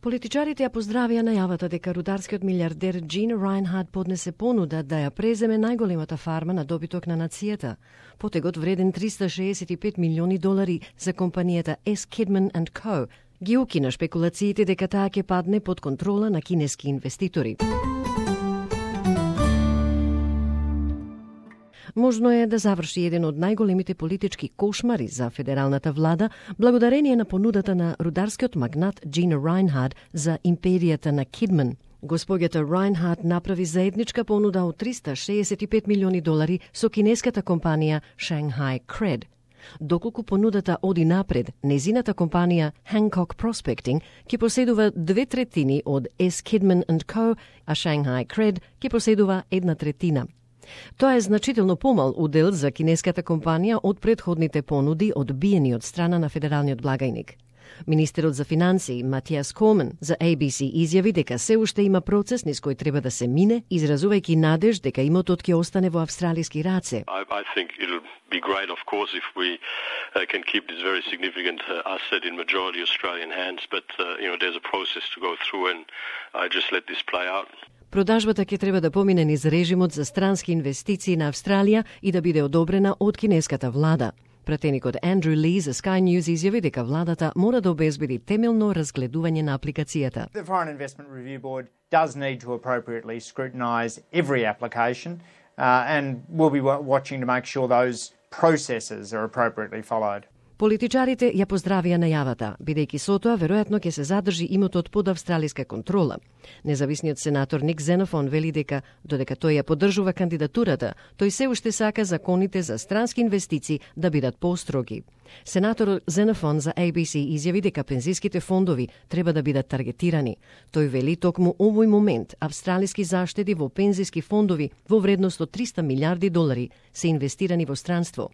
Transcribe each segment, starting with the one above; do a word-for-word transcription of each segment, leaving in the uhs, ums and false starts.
Политичарите ја поздравија најавата дека рударскиот милиардер Gina Rinehart поднесе понуда да ја преземе најголемата фарма на добиток на нацијата. Потегот вреден триста шеесет и пет милиони долари за компанијата S. Kidman and Co. ги укина шпекулациите дека таа ќе падне под контрола на кинески инвеститори. Можно е да заврши еден од најголемите политички кошмари за федералната влада, благодарение на понудата на рударскиот магнат Gina Rinehart за империјата на Kidman. Госпоѓата Rinehart направи заедничка понуда од триста шеесет и пет милиони долари со кинеската компанија Shanghai Cred. Доколку понудата оди напред, незината компанија Hancock Prospecting ќе поседува две третини од S. Kidman and Co., а Shanghai Cred ќе поседува една третина. Тоа е значително помал удел за кинеската компанија од претходните понуди одбиени од страна на федералниот благајник. Министерот за финансии Матиас Комен за A B C изјави дека се уште има процес низ кој треба да се мине, изразувајќи надеж дека имотот ќе остане во австралиски раце. I, I think it'll be great, of course, if we uh, can keep this very significant uh, asset in majority Australian hands, but uh, you know, there's a process to go through, and I just let this play out. Продажбата ќе треба да помине низ режимот за странски инвестиции на Австралија и да биде одобрена од кинеската влада. Пратеникот Андрю Ли за Sky News изјави дека владата мора да обезбеди темелно разгледување на апликацијата. The Foreign Investment Review Board does need to appropriately scrutinise every application uh, and we'll be watching to make sure those processes are appropriately followed. Политичарите ја поздравија најавата, бидејќи со тоа веројатно ќе се задржи имотот под австралиска контрола. Независниот сенатор Ник Зенофон вели дека додека тој ја поддржува кандидатурата, тој се уште сака законите за странски инвестиции да бидат поостроги. Сенаторот Зенофон за A B C изјави дека пензиските фондови треба да бидат таргетирани. Тој вели токму овој момент австралиски заштеди во пензиски фондови во вредност од триста милиарди долари се инвестирани во странство.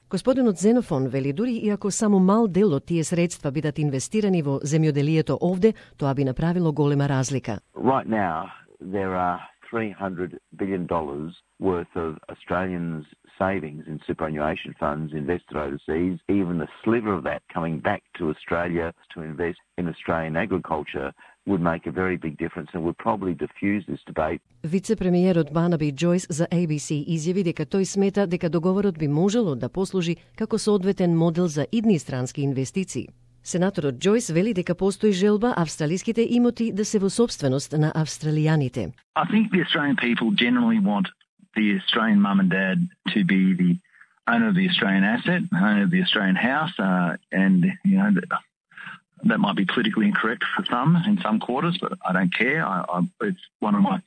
Господинот Зенофон вели дури и ако само мал дел од тие средства бидат инвестирани во земјоделието овде, тоа би направило голема разлика. Right now there are three hundred billion dollars worth of Australians savings in superannuation funds invested overseas. Even the sliver of that coming back to Australia to invest in Australian agriculture would make a very big difference and would probably diffuse this debate. Вице-премиерот Барнаби Джойс за A B C изјави дека тој смета дека договорот би можело да послужи како соодветен модел за идни странски инвестиции. Сенаторот Джойс вели дека постои желба австралиските имоти да се во собственост на австралијаните. I think the Australian people generally want the Australian mum and dad to be the owner of the Australian asset, owner of the Australian house, uh, and you know that might be politically incorrect for some in some quarters, but I don't care. I, I, it's one of my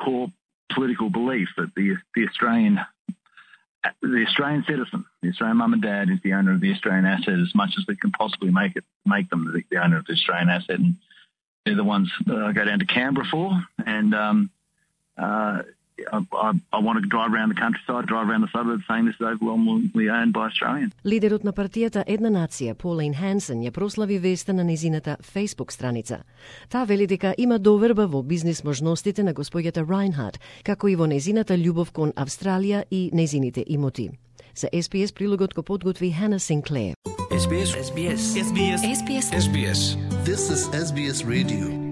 core political beliefs that the the Australian the Australian citizen, the Australian mum and dad, is the owner of the Australian asset as much as we can possibly make it make them the, the owner of the Australian asset, and they're the ones that I go down to Canberra for, and um, uh, I, I, I want to drive around the countryside, drive around the suburbs, saying this is overwhelmingly owned by Australians. Лидерот на партијата Една нација, Полин Хансен, ја прослави веста на незината Facebook страница. Таа вели дека има доверба во бизнис можностите на господјата Rinehart, како и во незината љубов кон Австралија и незините имоти. За S B S прилогот го подготви Hannah Sinclair. S B S S B S S B S S B S S B S This is S B S Radio.